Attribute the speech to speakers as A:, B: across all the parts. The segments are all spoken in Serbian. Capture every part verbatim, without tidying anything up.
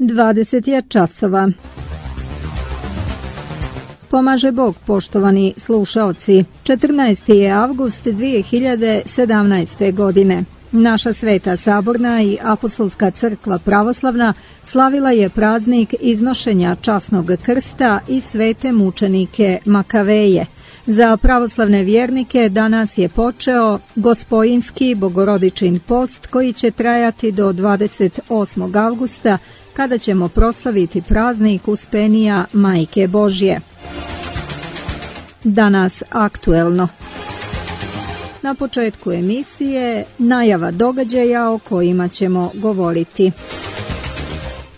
A: dvadeset je časova. Pomaže Bog, poštovani slušaoci. četrnaesti je avgust dvije hiljade sedamnaeste. godine. Naša Sveta Saborna i Apostolska crkva pravoslavna slavila je praznik iznošenja časnog krsta i svete mučenike Makaveje. Za pravoslavne vjernike danas je počeo Gospojinski bogorodičin post koji će trajati do dvadeset osmog avgusta kada ćemo proslaviti praznik Uspenija Majke Božje. Danas aktuelno. Na početku emisije najava događaja o kojima ćemo govoriti.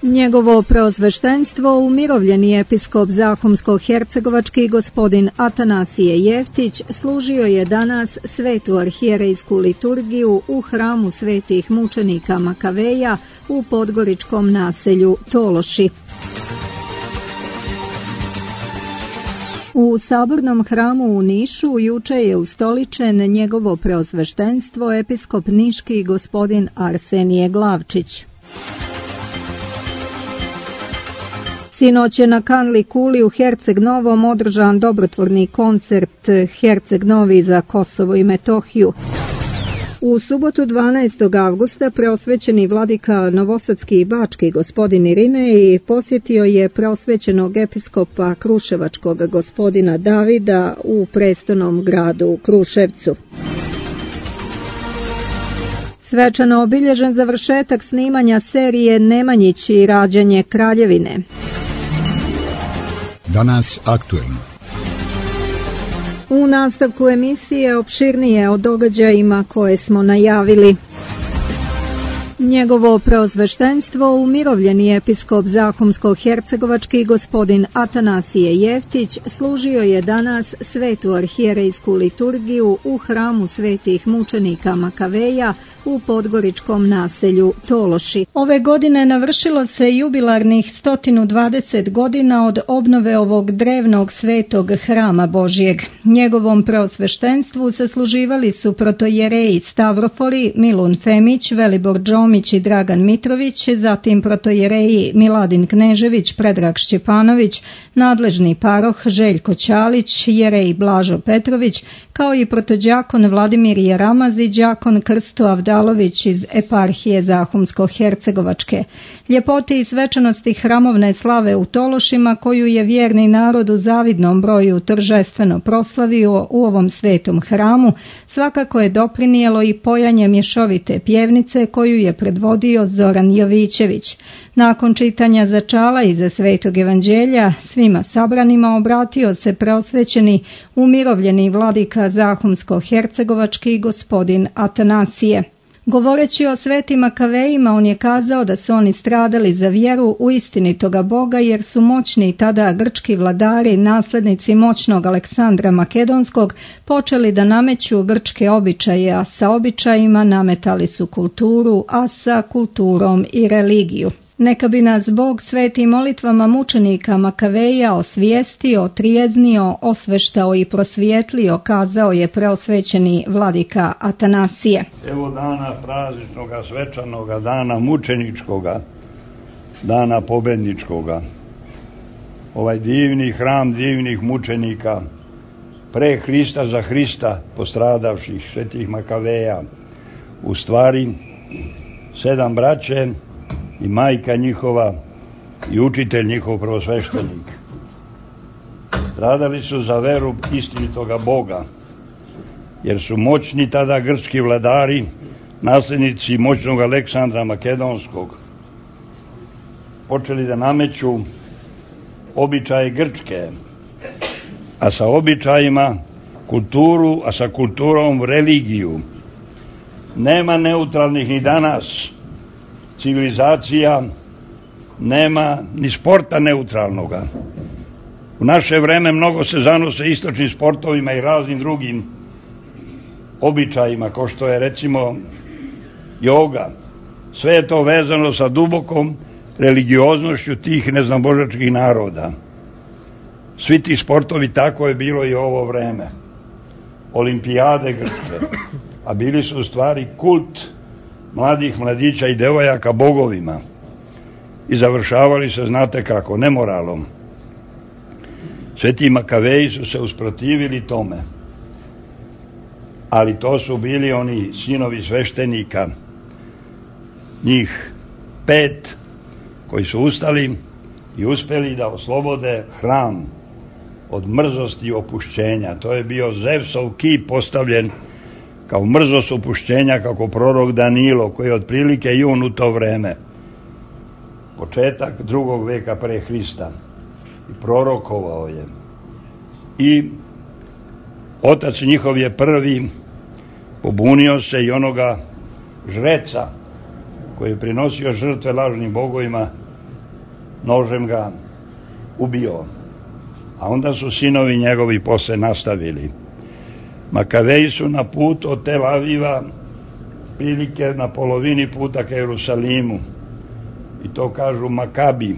A: Njegovo preosveštenstvo, umirovljeni episkop Zahumsko-hercegovački gospodin Atanasije Jeftić, služio je danas svetu arhijerejsku liturgiju u hramu svetih mučenika Makaveja u podgoričkom naselju Tološi. U Sabornom hramu u Nišu juče je ustoličen njegovo preosveštenstvo episkop niški gospodin Arsenije Glavčić. Sinoć je na Kanli Kuli u Herceg Novom održan dobrotvorni koncert Herceg Novi za Kosovo i Metohiju. U subotu dvanaestog avgusta preosvećeni vladika novosadski i bački gospodin Irinej posjetio je preosvećenog episkopa kruševačkog gospodina Davida u prestolnom gradu Kruševcu. Svečano obilježen završetak snimanja serije Nemanjić i rađanje Kraljevine.
B: Danas aktuelno.
A: U nastavku emisije opširnije o događajima koje smo najavili. Njegovo preosveštenstvo, umirovljeni episkop Zahumsko-hercegovački gospodin Atanasije Jeftić, služio je danas svetu arhijerejsku liturgiju u hramu svetih mučenika Makaveja u podgoričkom naselju Tološi. Ove godine navršilo se jubilarnih sto dvadeset godina od obnove ovog drevnog svetog hrama Božjeg. Njegovom preosveštenstvu sasluživali su protojereji Stavrofori, Milun Femić, Velibor Đomić i Dragan Mitrović, zatim protojereji Miladin Knežević, Predrag Šćepanović, nadležni paroh Željko Ćalić, jerej Blažo Petrović, kao i protođakon Vladimir Jeramaz i đakon Krsto Avdalović iz eparhije Zahumsko-hercegovačke. Ljepote i svečanosti hramovne slave u Tološima, koju je vjerni narod u zavidnom broju торжествено proslavio u ovom svetom hramu, svakako je doprinijelo i pojanje mješovite pjevnice koju je predvodio Zoran Jovićević. Nakon čitanja začala iza svetog evanđelja, svima sabranima obratio se preosvećeni umirovljeni vladika Zahumsko-hercegovački gospodin Atanasije. Govoreći o svetim Makavejima, on je kazao da su oni stradali za vjeru u istinitoga Boga, jer su moćni tada grčki vladari, naslednici moćnog Aleksandra Makedonskog, počeli da nameću grčke običaje, a sa običajima nametali su kulturu, a sa kulturom i religiju. Neka bi nas Bog svetim molitvama mučenika Makaveja osvijestio, trijeznio, osveštao i prosvijetlio, kazao je preosvećeni vladika Atanasije.
C: Evo dana prazničnoga, svečanoga, dana mučeničkoga, dana pobedničkoga. Ovaj divni hram divnih mučenika, pre Hrista za Hrista postradavših svetih Makaveja, u stvari sedam braće i majka njihova i učitelj njihov prvosveštenik. Stradali su za veru istinitoga Boga, jer su moćni tada grčki vladari, nasljednici moćnog Aleksandra Makedonskog, počeli da nameću običaje grčke, a sa običajima kulturu, a sa kulturom religiju. Nema neutralnih ni danas civilizacija, nema ni sporta neutralnoga. U naše vreme mnogo se zanose istočnim sportovima i raznim drugim običajima, kao što je recimo joga. Sve je to vezano sa dubokom religioznošću tih neznabožačkih naroda. Svi ti sportovi, tako je bilo i ovo vreme. Olimpijade grčke, a bili su u stvari kult mladih mladića i devojaka bogovima. i završavali se, znate kako, nemoralom. Sveti Makaveji su se usprotivili tome, ali to su bili oni sinovi sveštenika, njih pet, koji su ustali i uspeli da oslobode hram od mrzosti i opušćenja. To je bio Zevsov kip postavljen kao mrzost opušćenja, kako prorok Danilo, koji je otprilike jun u to vreme, početak drugog veka pre Hrista, i prorokovao je. I otac njihov je prvi pobunio se i onoga žreca koji je prinosio žrtve lažnim bogovima, nožem ga ubio. A onda su sinovi njegovi posle nastavili. Makaveji su na put od Tel Aviva prilike na polovini puta ka Jerusalimu, i to kažu Makabi.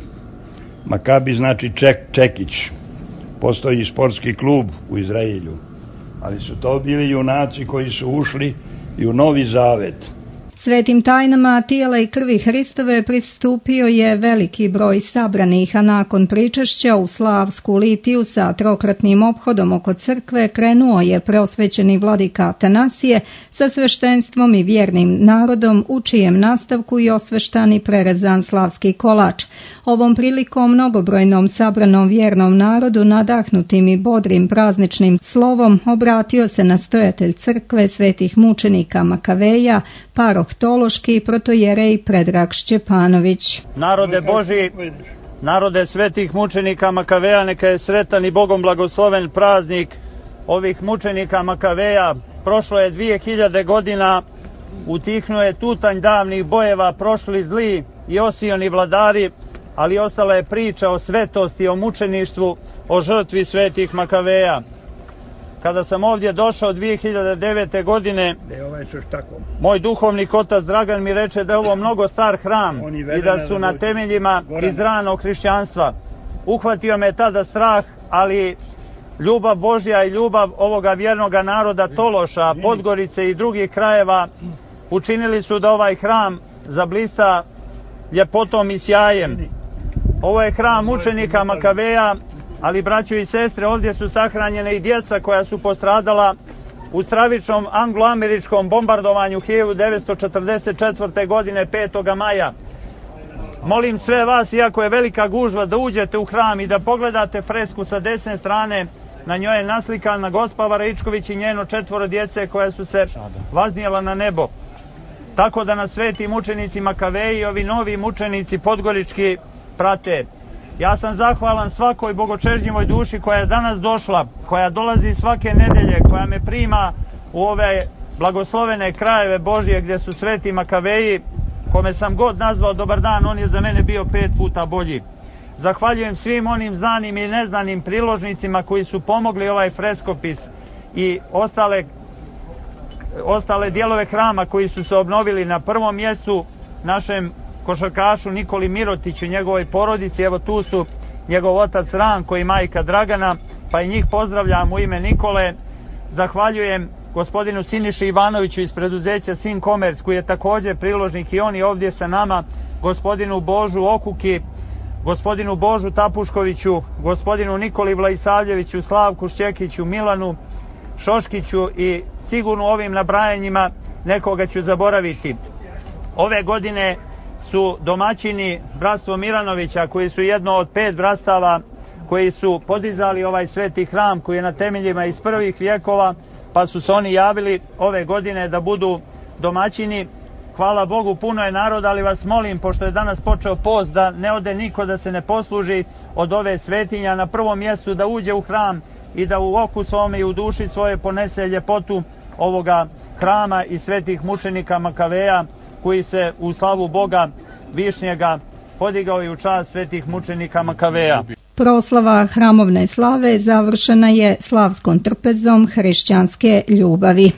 C: Makabi znači ček, čekić. Postoji sportski klub u Izraelju, ali su to bili junaci koji su ušli i u Novi Zavet.
A: Svetim tajnama tijela i krvi Hristove pristupio je veliki broj sabranih, a nakon pričešća u slavsku litiju sa trokratnim ophodom oko crkve krenuo je preosvećeni vladika Atanasije sa sveštenstvom i vjernim narodom, u čijem nastavku i osveštan i prerezan slavski kolač. Ovom prilikom mnogobrojnom sabranom vjernom narodu, nadahnutim i bodrim prazničnim slovom, obratio se nastojatelj crkve svetih mučenika Makaveja, paroh Tološki, protojerej Predrag Šćepanović.
B: Narode Božji, narode svetih mučenika Makaveja, neka je sretan i Bogom blagosloven praznik ovih mučenika Makaveja. Prošlo je dvije hiljade godina, utihnuo je tutanj davnih bojeva, prošli zli i osioni vladari, ali ostala je priča o svetosti, o mučeništvu, o žrtvi svetih Makaveja. Kada sam ovdje došao dvije hiljade devete. godine, moj duhovnik otac Dragan mi reče da je ovo mnogo star hram i da su na temeljima iz ranog hrišćanstva. Uhvatio me tada strah, ali ljubav Božja i ljubav ovoga vjernoga naroda Tološa, Podgorice i drugih krajeva učinili su da ovaj hram zablista ljepotom i sjajem. Ovo je hram mučenika Makaveja, ali braćo i sestre, ovdje su sahranjene i djeca koja su postradala u stravičnom anglo-američkom bombardovanju hiljadu devetsto četrdeset četvrte. godine petog maja. Molim sve vas, iako je velika gužva, da uđete u hram i da pogledate fresku sa desne strane. Na njoj je naslikana gospa Varaičković i njeno četvoro djece koja su se vaznijela na nebo. Tako da nas sveti mučenici Makaveji i ovi novi mučenici podgorički prate. Ja sam zahvalan svakoj bogočežnjivoj duši koja je danas došla, koja dolazi svake nedelje, koja me prima u ove blagoslovene krajeve Božje gdje su sveti Makaveji, kome sam god nazvao dobar dan, on je za mene bio pet puta bolji. Zahvaljujem svim onim znanim i neznanim priložnicima koji su pomogli ovaj freskopis i ostale, ostale dijelove hrama koji su se obnovili. Na prvom mjestu našem košarkašu Nikoli Mirotiću i njegovoj porodici. Evo tu su njegov otac Ranko i majka Dragana, pa i njih pozdravljam u ime Nikole. Zahvaljujem gospodinu Siniši Ivanoviću iz preduzeća Sin Komerc, koji je također priložnik i on je ovdje sa nama, gospodinu Božu Okuki, gospodinu Božu Tapuškoviću, gospodinu Nikoli Vlaisavljeviću, Slavku Šćekiću, Milanu Šoškiću i sigurno ovim nabrajanjima nekoga ću zaboraviti. Ove godine su domaćini bratstvo Miranovića, koji su jedno od pet brastava koji su podizali ovaj sveti hram koji je na temeljima iz prvih vjekova, pa su se oni javili ove godine da budu domaćini. Hvala Bogu, puno je naroda, ali vas molim, pošto je danas počeo post, da ne ode niko da se ne posluži od ove svetinja. Na prvom mjestu da uđe u hram i da u oku svome i u duši svoje ponese ljepotu ovoga hrama i svetih mučenika Makaveja, koji se u slavu Boga Višnjega podigao i u čast svetih mučenika Makaveja.
A: Proslava hramovne slave završena je slavskom trpezom hrišćanske ljubavi.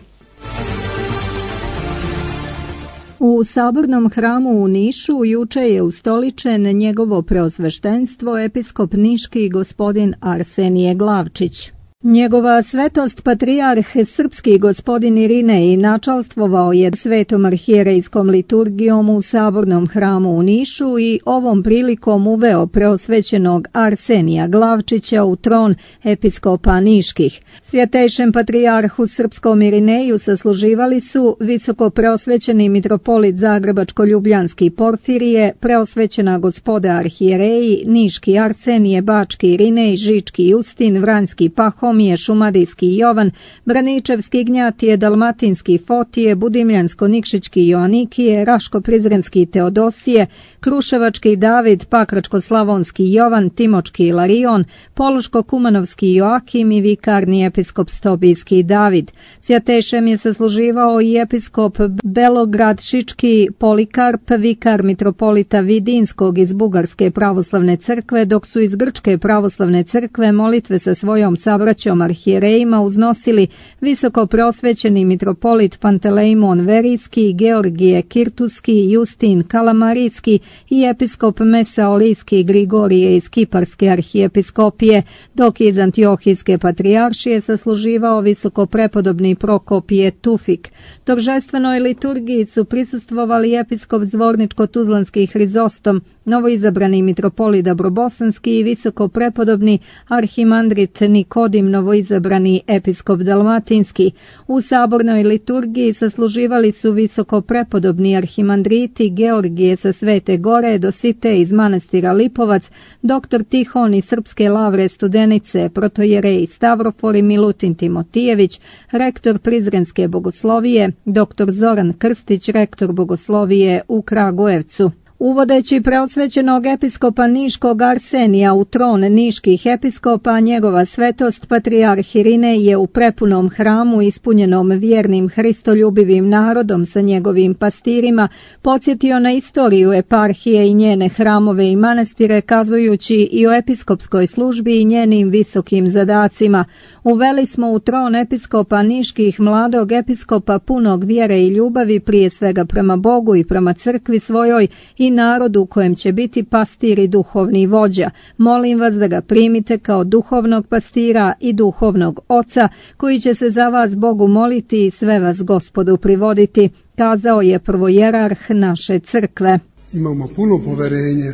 A: U sabornom hramu u Nišu juče je ustoličen njegovo preosveštenstvo episkop niški gospodin Arsenije Glavčić. Njegova svetost patrijarh srpski gospodin Irinej načalstvovao je svetom arhijerejskom liturgijom u Sabornom hramu u Nišu i ovom prilikom uveo preosvećenog Arsenija Glavčića u tron episkopa Niških. Svjetejšem patrijarhu srpskom Irineju sasluživali su visoko preosvećeni mitropolit Zagrebačko-Ljubljanski Porfirije, preosvećena gospoda arhijereji, Niški Arsenije, Bački Irinej, Žički Justin, Vranjski Pahomije, Šumadijski Jovan, Braničevski Gnjatije, Dalmatinski Fotije, Budimljansko-Nikšićki Joanikije, Raško-Prizrenski Teodosije, Kruševački David, Pakračko-Slavonski Jovan, Timočki Ilarion, Poluško-Kumanovski Joakim i vikarni episkop Stobijski David. Svjetejšem je sasluživao i episkop Belograd-Šički Polikarp, vikar mitropolita Vidinskog iz Bugarske pravoslavne crkve, dok su iz Grčke pravoslavne crkve molitve sa svojom sabraćom arhijerejima uznosili visoko preosvećeni mitropolit Pantelejmon Verijski, Georgije Kirtuski, Justin Kalamarijski i episkop Mesaolijski Grigorije iz Kiparske arhijepiskopije, dok iz Antiohijske patrijaršije sasluživao visoko prepodobni Prokopije Tufik. Торжественoj liturgiji su prisustvovali episkop Zvorničko-Tuzlanski Hrizostom, novoizabrani mitropolit Dabrobosanski i visoko prepodobni arhimandrit Nikodim, novoizabrani episkop Dalmatinski. U sabornoj liturgiji sasluživali su visoko prepodobni arhimandriti Georgije sa Svete Gore, Dosite iz manastira Lipovac, doktor Tihon iz Srpske Lavre Studenice, protojerej Stavrofor i Milutin Timotijević, rektor Prizrenske bogoslovije, doktor Zoran Krstić, rektor bogoslovije u Kragujevcu. Uvodeći preosvećenog episkopa Niškog Arsenija u tron niških episkopa, njegova svetost patrijarh Irinej je u prepunom hramu ispunjenom vjernim hristoljubivim narodom sa njegovim pastirima podsjetio na istoriju eparhije i njene hramove i manastire, kazujući i o episkopskoj službi i njenim visokim zadacima. Uveli smo u tron episkopa niških mladog episkopa punog vjere i ljubavi, prije svega prema Bogu i prema crkvi svojoj i narodu kojem će biti pastir i duhovni vođa. Molim vas da ga primite kao duhovnog pastira i duhovnog oca, koji će se za vas Bogu moliti i sve vas Gospodu privoditi, kazao je prvojerarh naše crkve.
D: Imamo puno poverenje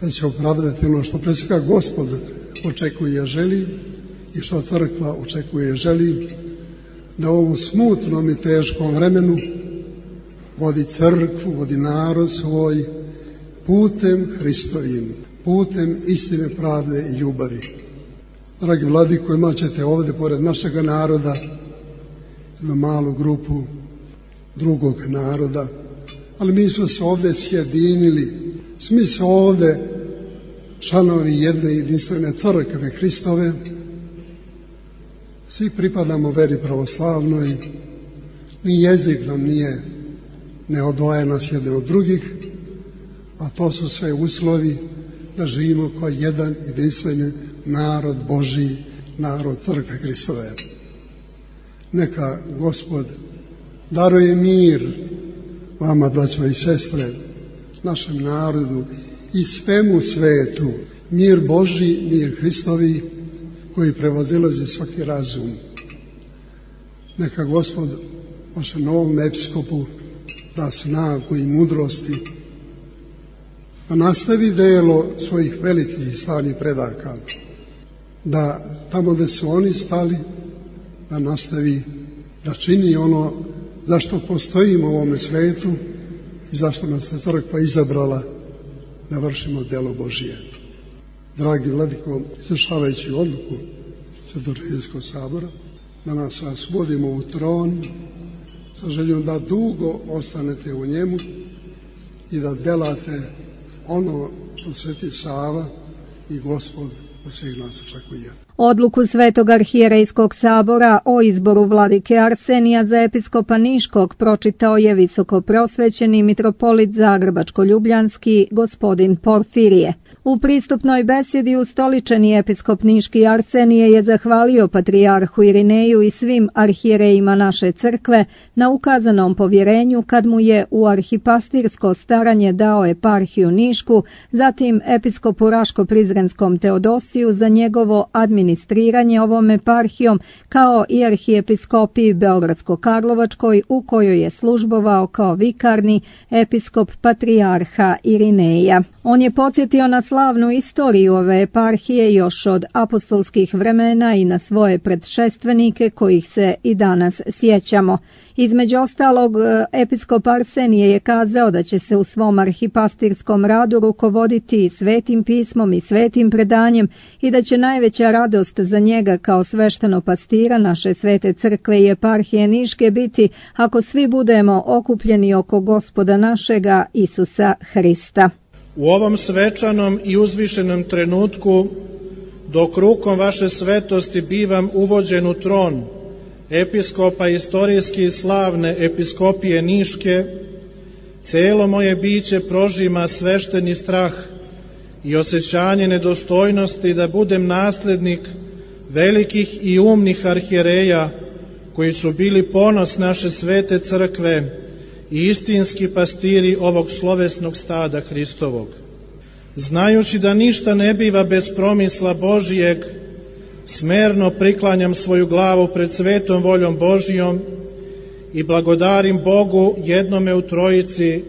D: da će opravdati ono što pre svega Gospod očekuje i želi i što crkva očekuje i želi, da u ovom smutnom i teškom vremenu vodi crkvu, vodi narod svoj putem Hristovim, putem istine, pravde i ljubavi. Dragi vladiko, imat ćete ovdje pored našega naroda jednu malu grupu drugog naroda, ali mi smo se ovdje sjedinili, svi smo ovdje članovi jedne jedinstvene crkve Hristove, svi pripadamo veri pravoslavnoj, ni jezik nam nije ne odvaja nas jedne od drugih, a to su sve uslovi da živimo kao jedan jedinstveni narod Božji, narod crkve Hristove. Neka Gospod daruje mir vama, braćo i sestre, našem narodu i svemu svetu, mir Božji, mir Hristovi, koji prevazilazi svaki razum. Neka Gospod vašem novom episkopu da snagu i mudrosti, da nastavi delo svojih velikih i slavnih predaka, da tamo gde su oni stali, da nastavi da čini ono zašto postojimo u ovome svetu i zašto nas je crkva izabrala da vršimo delo Božije. Dragi vladiko, izvršavajući odluku Svetorijskog sabora, da nas svodimo u tron sa željom da dugo ostanete u njemu i da delate ono što Sveti Sava i Gospod od svih nas očekuje.
A: Odluku Svetog arhijerejskog sabora o izboru vladike Arsenija za episkopa Niškog pročitao je visoko preosvećeni mitropolit Zagrebačko-Ljubljanski gospodin Porfirije. U pristupnoj besjedi ustoličeni episkop Niški Arsenije je zahvalio patrijarhu Irineju i svim arhijerejima naše crkve na ukazanom povjerenju kad mu je u arhipastirsko staranje dao eparhiju Nišku, zatim episkopu Raško-Prizrenskom Teodosiju za njegovo administrativno ministriranje ovom eparhijom, kao i arhijepiskopiji Beogradsko-Karlovačkoj, u kojoj je službovao kao vikarni episkop patrijarha Irineja. On je podsjetio na slavnu istoriju ove eparhije još od apostolskih vremena i na svoje predšestvenike kojih se i danas sjećamo. Između ostalog, episkop Arsenije je kazao da će se u svom arhipastirskom radu rukovoditi svetim pismom i svetim predanjem i da će najveća radost za njega kao svešteno pastira naše svete crkve i eparhije Niške biti ako svi budemo okupljeni oko Gospoda našega Isusa Hrista.
E: U ovom svečanom i uzvišenom trenutku, dok rukom vaše svetosti bivam uvođen u tron episkopa istorijski slavne episkopije Niške, celo moje biće prožima svešteni strah i osjećanje nedostojnosti da budem naslednik velikih i umnih arhijereja koji su bili ponos naše svete crkve i istinski pastiri ovog slovesnog stada Hristovog. Znajući da ništa ne biva bez promisla Božijeg, smerno priklanjam svoju glavu pred svetom voljom Božijom i blagodarim Bogu jednome u trojici,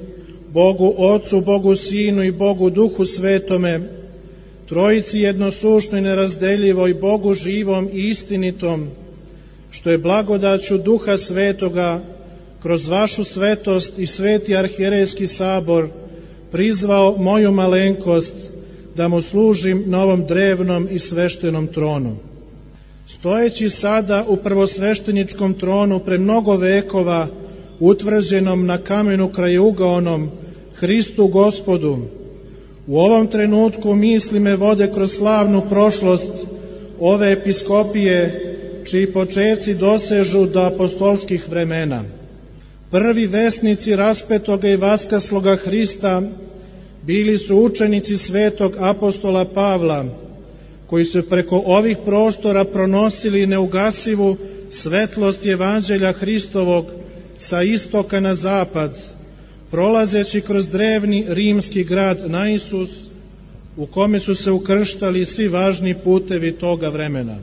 E: Bogu Otcu, Bogu Sinu i Bogu Duhu Svetome, trojici jednosušnoj, nerazdeljivoj, Bogu živom i istinitom, što je blagodaću Duha Svetoga kroz vašu svetost i sveti arhijerejski sabor prizvao moju malenkost da mu služim na ovom drevnom i sveštenom tronu. Stojeći sada u prvosvešteničkom tronu pre mnogo vekova, utvrđenom na kamenu krajeugaonom, Hristu Gospodu, u ovom trenutku misli me vode kroz slavnu prošlost ove episkopije, čiji počeci dosežu do apostolskih vremena. Prvi vesnici raspetoga i vaskasloga Hrista bili su učenici svetog apostola Pavla, koji su preko ovih prostora pronosili neugasivu svetlost evanđelja Hristovog sa istoka na zapad, prolazeći kroz drevni rimski grad Naisus, u kome su se ukrštali svi važni putevi toga vremena.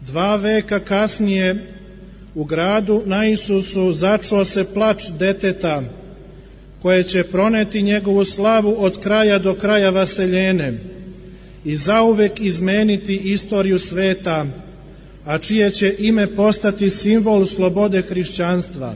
E: Dva veka kasnije u gradu Naisusu začuo se plač deteta, koje će proneti njegovu slavu od kraja do kraja vaseljene i zauvek izmeniti istoriju sveta, a čije će ime postati simbol slobode hrišćanstva.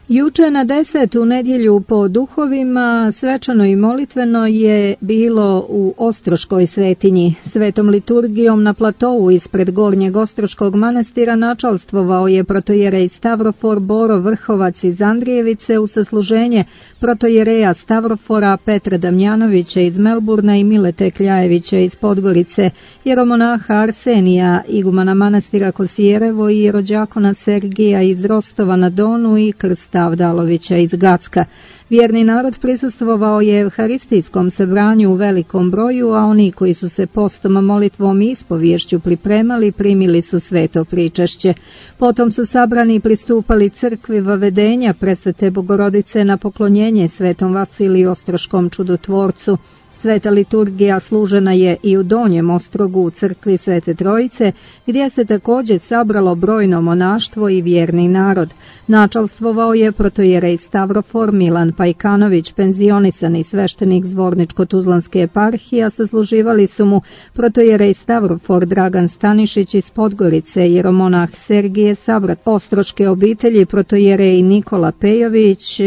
A: Juče na desetu nedjelju po duhovima svečano i molitveno je bilo u Ostroškoj svetinji. Svetom liturgijom na platovu ispred Gornjeg Ostroškog manastira načalstvovao je protojerej Stavrofor Boro Vrhovac iz Andrijevice u sasluženje protojereja Stavrofora Petra Damjanovića iz Melburna i Milete Kljajevića iz Podgorice, jeromonaha Arsenija, igumana manastira Kosijerevo i jerođakona Sergija iz Rostova na Donu i Krsta Avdalovića iz Gacka. Vjerni narod prisustvovao je evharistijskom sabranju u velikom broju, a oni koji su se postom, molitvom i ispovješću pripremali, primili su sveto pričašće. Potom su sabrani pristupali crkvi Vavedenja Presvete Bogorodice na poklonjenje svetom Vasiliju Ostroškom čudotvorcu. Sveta liturgija služena je i u Donjem Ostrogu u crkvi Svete Trojice, gdje se također sabralo brojno monaštvo i vjerni narod. Načalstvovao je protojerej Stavrofor Milan Pajkanović, penzionisani sveštenik Zvorničko-Tuzlanske eparhije, a sasluživali su mu protojerej Stavrofor Dragan Stanišić iz Podgorice, jeromonah Sergije Savrat Ostroške obitelji, protojerej Nikola Pejović,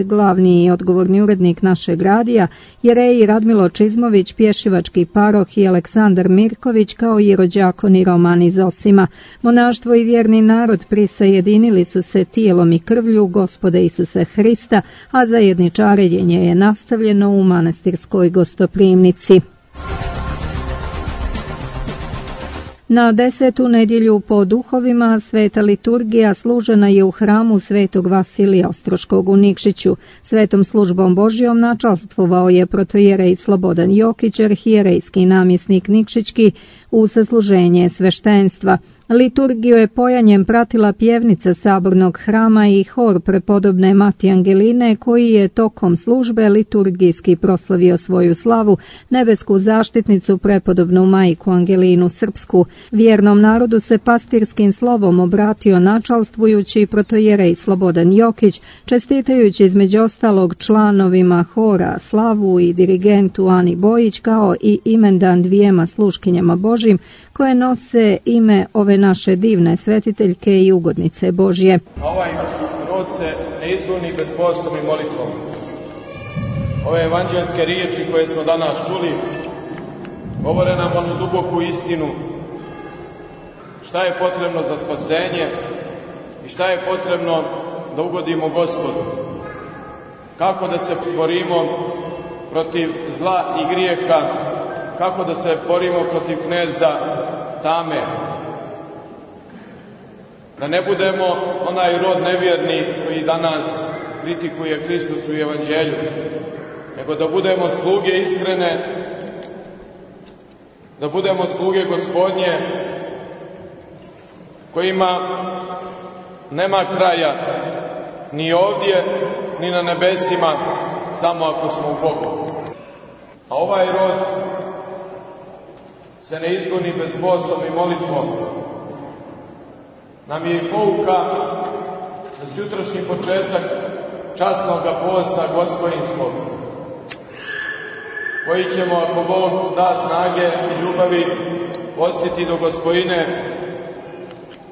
A: glavni i odgovorni urednik našeg radija, jereji Radmilo Čizmović, pješivački paroh i Aleksandar Mirković, kao i rođakoni Roman iz Osima. Monaštvo i vjerni narod prisajedinili su se tijelom i krvlju Gospoda Isusa Hrista, a zajedničarenje je nastavljeno u manastirskoj gostoprimnici. Na desetu nedjelju po duhovima sveta liturgija služena je u hramu svetog Vasilija Ostroškog u Nikšiću. Svetom službom Božjom načalstvovao je protojerej Slobodan Jokić, arhijerejski namjesnik Nikšićki, u sasluženje sveštenstva. Liturgiju je pojanjem pratila pjevnica Sabornog hrama i hor prepodobne Mati Angeline, koji je tokom službe liturgijski proslavio svoju slavu, nebesku zaštitnicu prepodobnu Majku Angelinu Srpsku. Vjernom narodu se pastirskim slovom obratio načalstvujući protojerej Slobodan Jokić, čestitajući između ostalog članovima hora slavu i dirigentu Ani Bojić, kao i imendan dvijema sluškinjama Božjim, koje nose ime ove naše divne svetiteljke i ugodnice Božje.
F: Ovaj rod se ne izgoni bez postom i molitvom. Ove evanđelske riječi koje smo danas čuli govore nam onu duboku istinu šta je potrebno za spasenje i šta je potrebno da ugodimo Gospodu. Kako da se borimo protiv zla i grijeha, kako da se borimo protiv kneza tame. Da ne budemo onaj rod nevjerni koji danas kritikuje Hristos u evanđelju, nego da budemo sluge iskrene, da budemo sluge Gospodnje, kojima nema kraja ni ovdje, ni na nebesima, samo ako smo u Bogu. A ovaj rod se ne izgoni bez postom i molitvom. Nam je i pouka za sutrašnji početak časnog posta Gospodinskog, koji ćemo, ako Bog da snage i ljubavi, postiti do Gospodine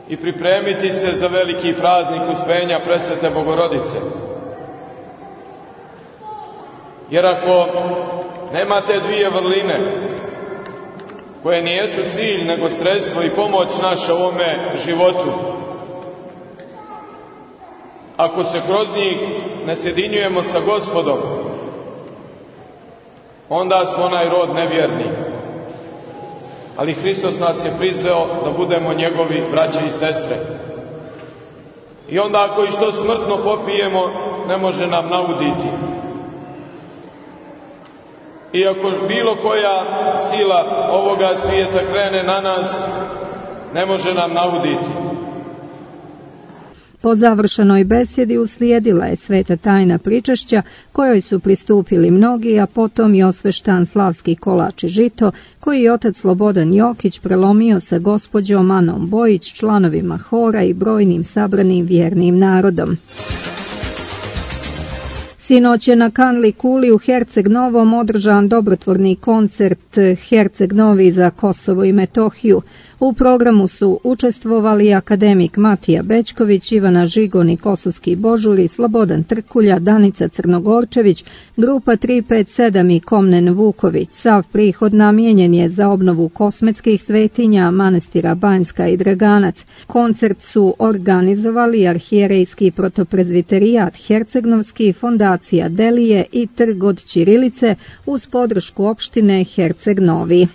F: i pripremiti se za veliki praznik Uspenja Presvete Bogorodice. Jer ako nema te dvije vrline, koje nijesu cilj, nego sredstvo i pomoć naša u ovome životu, ako se kroz njih ne sjedinjujemo sa Gospodom, onda smo onaj rod nevjerni. Ali Hristos nas je prizveo da budemo njegovi braće i sestre. I onda ako i što smrtno popijemo, ne može nam nauditi. I ako bilo koja sila ovoga svijeta krene na nas, ne može nam nauditi.
A: Po završenoj besjedi uslijedila je sveta tajna pričešća, kojoj su pristupili mnogi, a potom i osveštan slavski kolač i žito, koji je otac Slobodan Jokić prelomio sa gospođom Anom Bojić, članovima hora i brojnim sabranim vjernim narodom. Sinoć je na Kanli Kuli u Herceg Novom održan dobrotvorni koncert Herceg Novi za Kosovo i Metohiju. U programu su učestvovali akademik Matija Bećković, Ivana Žigon i Kosovski Božuri, Slobodan Trkulja, Danica Crnogorčević, grupa tri pet sedam i Komnen Vuković. Sav prihod namijenjen je za obnovu kosmetskih svetinja manastira Banjska i Draganac. Koncert su organizovali arhijerejski protoprezviterijat Hercegnovski, fondacija Delije i Trg od Ćirilice uz podršku opštine Herceg Novi.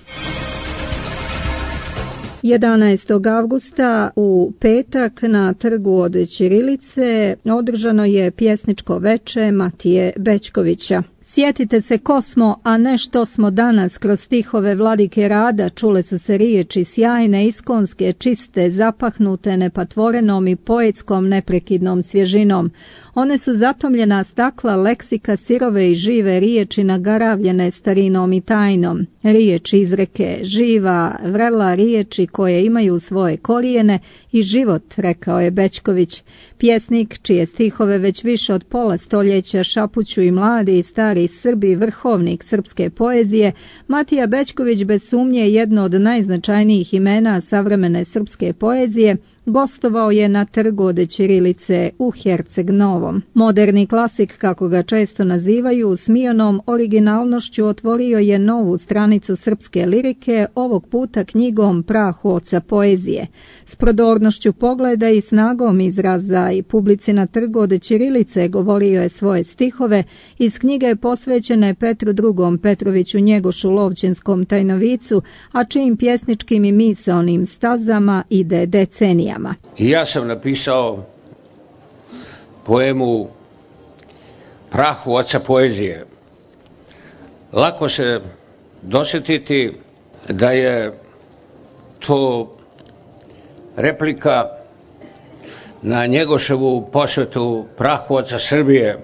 A: jedanaestog avgusta u petak na Trgu od Ćirilice održano je pjesničko veče Matije Bećkovića. Sjetite se ko smo, a ne što smo danas, kroz stihove Vladike Rada čule su se riječi sjajne, iskonske, čiste, zapahnute nepatvorenom i poetskom neprekidnom svježinom. One su zatomljena stakla leksika sirove i žive riječi nagaravljene starinom i tajnom. Riječi izreke, živa, vrela riječi koje imaju svoje korijene i život, rekao je Bećković. Pjesnik, čije stihove već više od pola stoljeća šapuću i mladi i stari Srbi, vrhovnik srpske poezije, Matija Bećković bez sumnje jedno od najznačajnijih imena savremene srpske poezije, gostovao je na Trgu od Ćirilice u Herceg Novom. Moderni klasik, kako ga često nazivaju, s mijonom originalnošću otvorio je novu stranicu srpske lirike, ovog puta knjigom Prah oca poezije. S prodornošću pogleda i snagom izraza i publici na Trgu od Ćirilice govorio je svoje stihove iz knjige posvećene Petru drugom Petroviću Njegošu Lovćenskom tajnovicu, a čijim pjesničkim i misaonim stazama ide decenijama.
G: I ja sam napisao poemu Prahu oca poezije. Lako se dosjetiti da je to replika na Njegoševu posvetu prahu oca Srbije,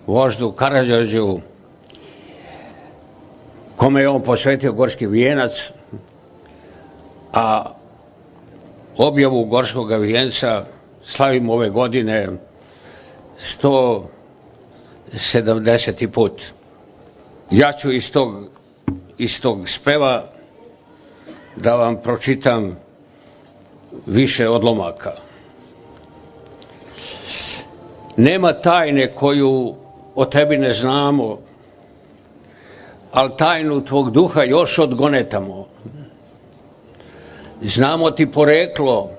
G: voždu Karađorđu, kome je on posvetio Gorski vijenac, a objavu Gorskog vijenca slavimo ove godine sto sedamdeseti put. Ja ću iz tog, iz tog speva da vam pročitam više odlomaka. Nema tajne koju o tebi ne znamo, ali tajnu tvog duha još odgonetamo. Znamo ti poreklo,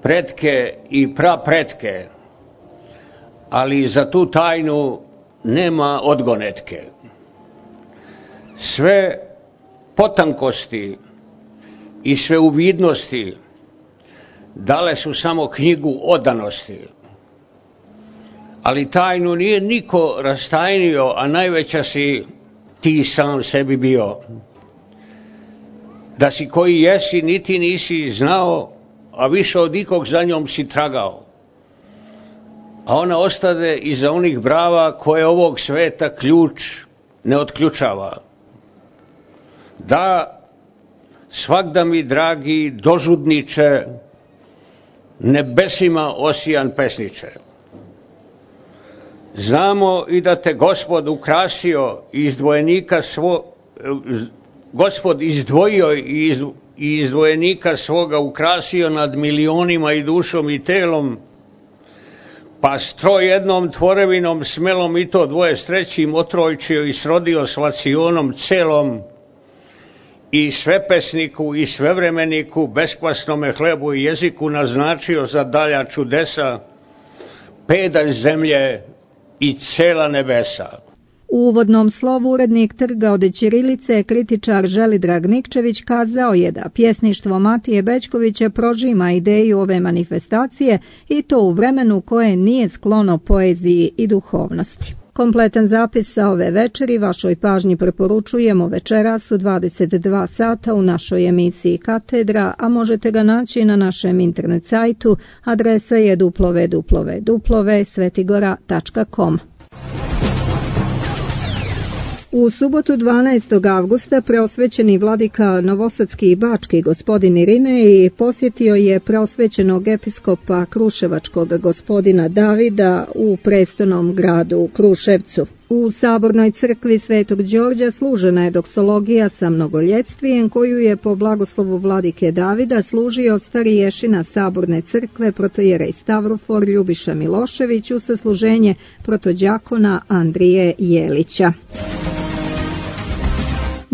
G: pretke i prapretke, ali za tu tajnu nema odgonetke. Sve potankosti i sve uvidnosti dale su samo knjigu odanosti, ali tajnu nije niko rastajnio, a najveća si ti sam sebi bio. Da si koji jesi, niti nisi znao, a više od ikog za njom si tragao. A ona ostade iza onih brava koje ovog sveta ključ ne otključava. Da, svakda mi, dragi dožudniče, nebesima osijan pesniče. Znamo i da te Gospod ukrasio i izdvojenika svo, Gospod izdvojio i iz, i izdvojenika svoga ukrasio nad milionima i dušom i telom, pa stroj jednom tvorevinom smelom i to dvoje s trećim otrojčio i srodio s vacionom celom, i svepesniku i svevremeniku, beskvasnome hlebu i jeziku naznačio za dalja čudesa, pedalj zemlje i cela nebesa.
A: U uvodnom slovu urednik Trga od ćirilice, kritičar Želidrag Nikčević, kazao je da pjesništvo Matije Bećkovića prožima ideju ove manifestacije i to u vremenu koje nije sklono poeziji i duhovnosti. Kompletan zapis sa ove večeri vašoj pažnji preporučujemo večeras u dvadeset dva sata u našoj emisiji Katedra, a možete ga naći na našem internet sajtu, adresa je w w w tačka svetigora tačka com. U subotu dvanaestog avgusta preosvećeni vladika novosadski i bački gospodin Irinej posjetio je preosvećenog episkopa kruševačkog gospodina Davida u prestolnom gradu Kruševcu. U sabornoj crkvi Svetog Đorđa služena je doksologija sa mnogoljetstvijem koju je po blagoslovu vladike Davida služio stariješina saborne crkve protojerej Stavrofor Ljubiša Milošević u sasluženje protođakona Andrije Jelića.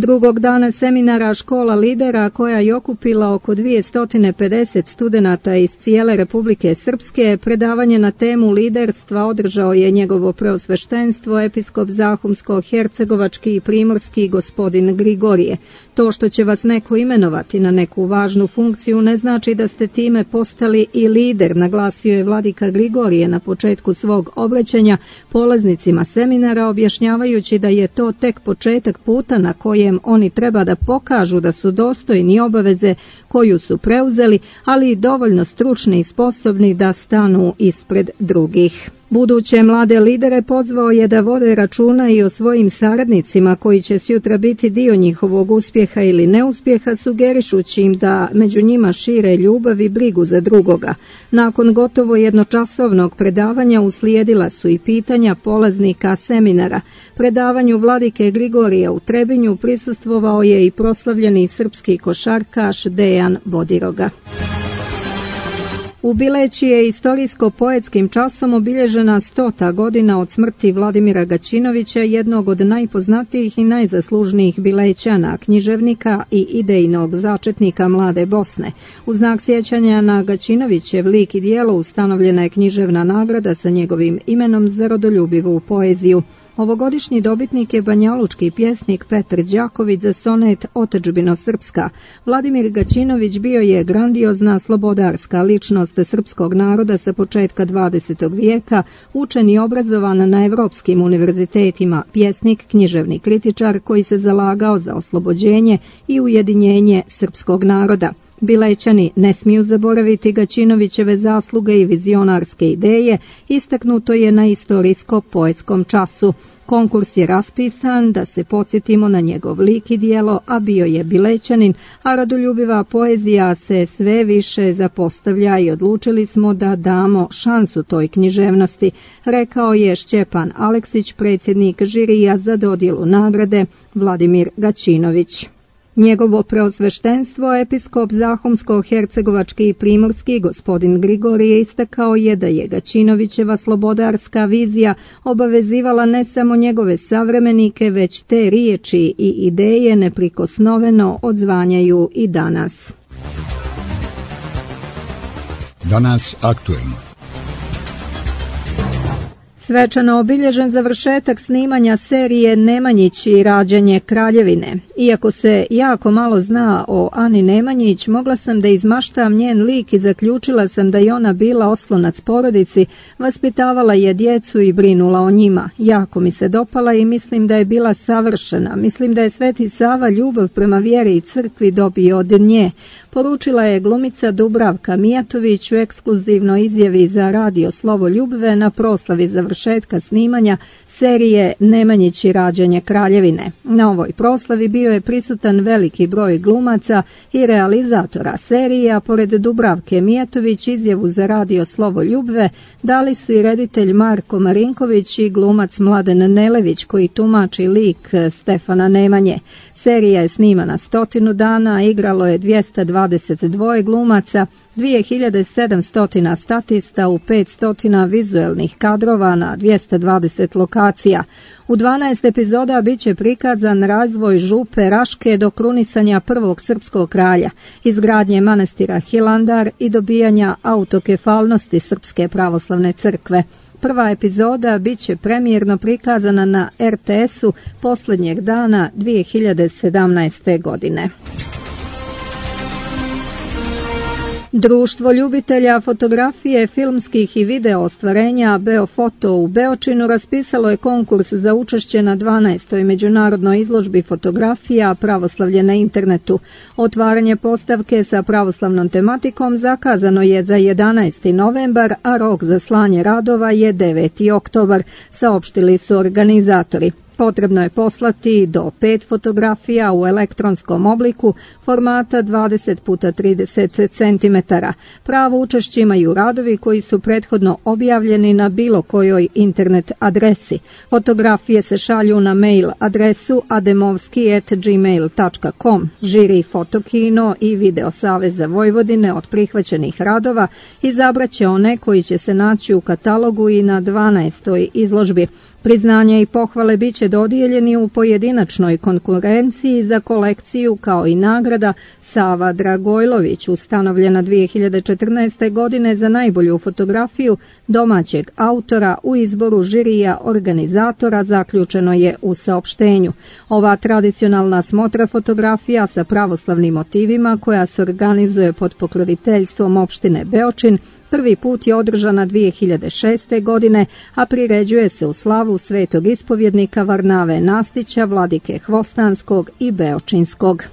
A: Drugog dana seminara Škola lidera, koja je okupila oko dvjesto pedeset studenata iz cijele Republike Srpske, predavanje na temu liderstva održao je njegovo preosveštenstvo episkop Zahumsko-Hercegovački i Primorski gospodin Grigorije. To što će vas neko imenovati na neku važnu funkciju ne znači da ste time postali i lider, naglasio je vladika Grigorije na početku svog obraćanja polaznicima seminara, objašnjavajući da je to tek početak puta na kojem oni treba da pokažu da su dostojni obaveze koju su preuzeli, ali i dovoljno stručni i sposobni da stanu ispred drugih. Buduće mlade lidere pozvao je da vode računa i o svojim saradnicima koji će sutra biti dio njihovog uspjeha ili neuspjeha, sugerišući im da među njima šire ljubav i brigu za drugoga. Nakon gotovo jednočasovnog predavanja uslijedila su i pitanja polaznika seminara. Predavanju vladike Grigorija u Trebinju prisustvovao je i proslavljeni srpski košarkaš Dejan Bodiroga. U Bileći je istorijsko-poetskim časom obilježena stota godina od smrti Vladimira Gaćinovića, jednog od najpoznatijih i najzaslužnijih Bilećana, književnika i idejnog začetnika mlade Bosne. U znak sjećanja na Gaćinovićev lik i djelo ustanovljena je književna nagrada sa njegovim imenom za rodoljubivu poeziju. Ovogodišnji dobitnik je banjalučki pjesnik Petar Đaković za sonet Otadžbino Srpska. Vladimir Gaćinović bio je grandiozna slobodarska ličnost srpskog naroda sa početka dvadesetog vijeka, učen i obrazovan na evropskim univerzitetima, pjesnik, književni kritičar koji se zalagao za oslobođenje i ujedinjenje srpskog naroda. Bilećani ne smiju zaboraviti Gaćinovićeve zasluge i vizionarske ideje, istaknuto je na istorijsko-poetskom času. Konkurs je raspisan da se podsjetimo na njegov lik i dijelo, a bio je Bilećanin, a rodoljubiva poezija se sve više zapostavlja i odlučili smo da damo šansu toj književnosti, rekao je Šćepan Aleksić, predsjednik žirija za dodjelu nagrade Vladimir Gaćinović. Njegovo preosveštenstvo, episkop Zahumsko-hercegovački i primorski gospodin Grigorije istakao je da je Gaćinovićeva slobodarska vizija obavezivala ne samo njegove savremenike, već te riječi i ideje neprikosnoveno odzvanjaju i danas.
H: Danas aktuelno.
A: Svečano obilježen završetak snimanja serije Nemanjić i rađanje Kraljevine. Iako se jako malo zna o Ani Nemanjić, mogla sam da izmaštam njen lik i zaključila sam da je ona bila oslonac porodici, vaspitavala je djecu i brinula o njima. Jako mi se dopala i mislim da je bila savršena. Mislim da je Sveti Sava ljubav prema vjeri i crkvi dobio od nje. Poručila je glumica Dubravka Mijatović u ekskluzivnoj izjavi za radio Slovo Ljubve na proslavi završetka snimanja serije Nemanjić i rađanje Kraljevine. Na ovoj proslavi bio je prisutan veliki broj glumaca i realizatora serije, a pored Dubravke Mijatović izjavu za radio Slovo Ljubve dali su i reditelj Marko Marinković i glumac Mladen Nelević koji tumači lik Stefana Nemanje. Serija je snimana stotinu dana, igralo je dvjesto dvadeset dva glumaca, dvije hiljade sedamsto statista u petsto vizuelnih kadrova na dvjesto dvadeset lokacija. U dvanaest epizoda bit će prikazan razvoj župe Raške do krunisanja prvog srpskog kralja, izgradnje manastira Hilandar i dobijanja autokefalnosti Srpske pravoslavne crkve. Prva epizoda bit će premijerno prikazana na er te esu posljednjeg dana dvije hiljade sedamnaeste. godine. Društvo ljubitelja fotografije, filmskih i video ostvarenja Beofoto u Beočinu raspisalo je konkurs za učešće na dvanaestoj međunarodnoj izložbi fotografija Pravoslavlje na internetu. Otvaranje postavke sa pravoslavnom tematikom zakazano je za jedanaesti novembar, a rok za slanje radova je deveti oktobar, saopštili su organizatori. Potrebno je poslati do pet fotografija u elektronskom obliku formata dvadeset puta trideset centimetara. Pravo učešće imaju radovi koji su prethodno objavljeni na bilo kojoj internet adresi. Fotografije se šalju na mail adresu ademovski at gmail dot com. Žiri Fotokino i Video Saveza Vojvodine od prihvaćenih radova izabraće one koji će se naći u katalogu i na dvanaestoj izložbi. Priznanja i pohvale bit će dodijeljeni u pojedinačnoj konkurenciji za kolekciju kao i nagrada Sava Dragojlović, ustanovljena dvije hiljade četrnaeste. godine za najbolju fotografiju domaćeg autora u izboru žirija organizatora, zaključeno je u saopštenju. Ova tradicionalna smotra fotografija sa pravoslavnim motivima koja se organizuje pod pokroviteljstvom opštine Beočin prvi put je održana dvije hiljade šeste. godine, a priređuje se u slavu svetog ispovjednika Varnave Nastića, vladike Hvostanskog i Beočinskog.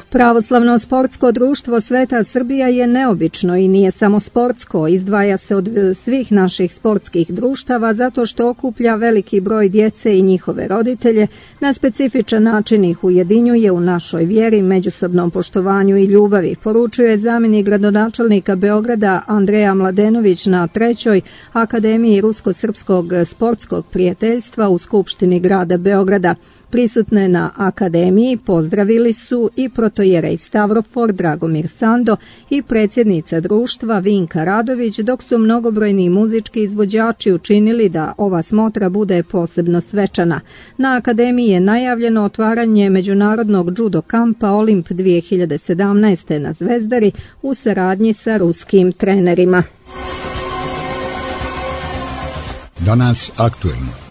A: Pravoslavno sportsko društvo Sveta Srbija je neobično i nije samo sportsko, izdvaja se od svih naših sportskih društava zato što okuplja veliki broj djece i njihove roditelje, na specifičan način ih ujedinjuje u našoj vjeri, međusobnom poštovanju i ljubavi, poručuje zamjenik gradonačelnika Beograda Andreja Mladenović na trećoj Akademiji Rusko-Srpskog sportskog prijateljstva u Skupštini grada Beograda. Prisutne na akademiji pozdravili su i protojerej Stavrofor Dragomir Sando i predsjednica društva Vinka Radović, dok su mnogobrojni muzički izvođači učinili da ova smotra bude posebno svečana. Na akademiji je najavljeno otvaranje međunarodnog judo kampa Olimp dvije hiljade sedamnaeste. na Zvezdari u saradnji sa ruskim trenerima.
H: Danas aktuelno.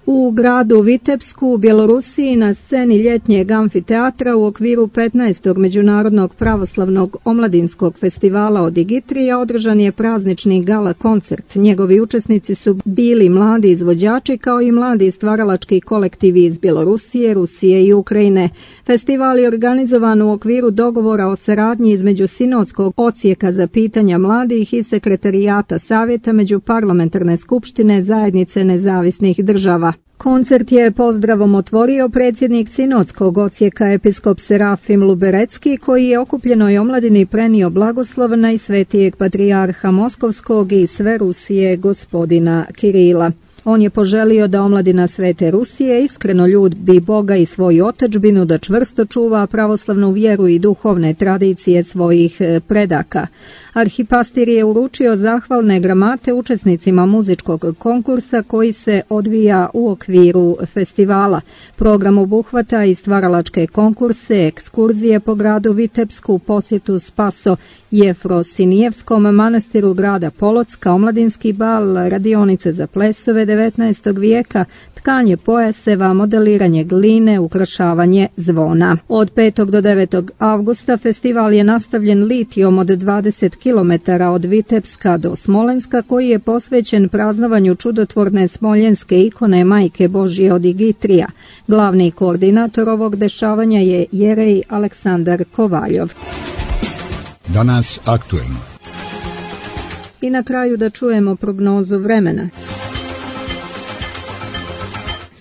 A: U gradu Vitebsku u Bjelorusiji na sceni ljetnjeg amfiteatra u okviru petnaestog Međunarodnog pravoslavnog omladinskog festivala Odigitrija održan je praznični gala koncert. Njegovi učesnici su bili mladi izvođači kao i mladi stvaralački kolektivi iz Bjelorusije, Rusije i Ukrajine. Festival je organizovan u okviru dogovora o saradnji između Sinodskog odsjeka za pitanja mladih i Sekretarijata Savjeta Međuparlamentarne skupštine Zajednice nezavisnih država. Koncert je pozdravom otvorio predsjednik Sinodskog odsjeka episkop Serafim Luberecki, koji je okupljenoj omladini prenio blagoslov najsvetijeg patrijarha Moskovskog i sve Rusije gospodina Kirila. On je poželio da omladina Svete Rusije iskreno ljubi Boga i svoju otadžbinu, da čvrsto čuva pravoslavnu vjeru i duhovne tradicije svojih predaka. Arhipastir je uručio zahvalne gramate učesnicima muzičkog konkursa koji se odvija u okviru festivala. Program obuhvata i stvaralačke konkurse, ekskurzije po gradu Vitebsku, posjetu Spaso Jefrosinijevskom manastiru grada Polocka, omladinski bal, radionice za plesove devetnaestog vijeka, tkanje pojaseva, modeliranje gline, ukrašavanje zvona. Od petog do devetog avgusta festival je nastavljen litijom od dvadeset kilometara od Vitebska do Smolenska, koji je posvećen praznovanju čudotvorne smoljenske ikone Majke Božje Odigitrija. Glavni koordinator ovog dešavanja je jerej Aleksandar Kovaljov.
H: Danas aktuelno.
A: I na kraju da čujemo prognozu vremena.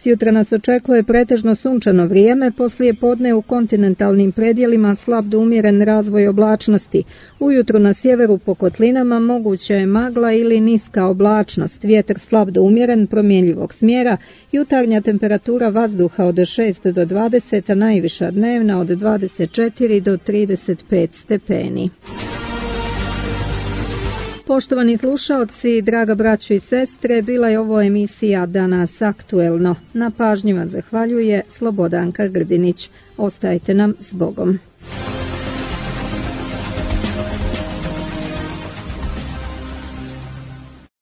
A: Sjutra nas očekuje pretežno sunčano vrijeme, poslije podne u kontinentalnim predjelima slab do umjeren razvoj oblačnosti. Ujutro na sjeveru po kotlinama moguća je magla ili niska oblačnost, vjetar slab do umjeren promjenjivog smjera, jutarnja temperatura vazduha od šest do dvadeset, a najviša dnevna od dvadeset četiri do trideset pet stepeni. Poštovani slušaoci, draga braćo i sestre, bila je ovo emisija Danas aktuelno. Na pažnji vam zahvaljuje Slobodanka Grdinić. Ostajte nam s Bogom.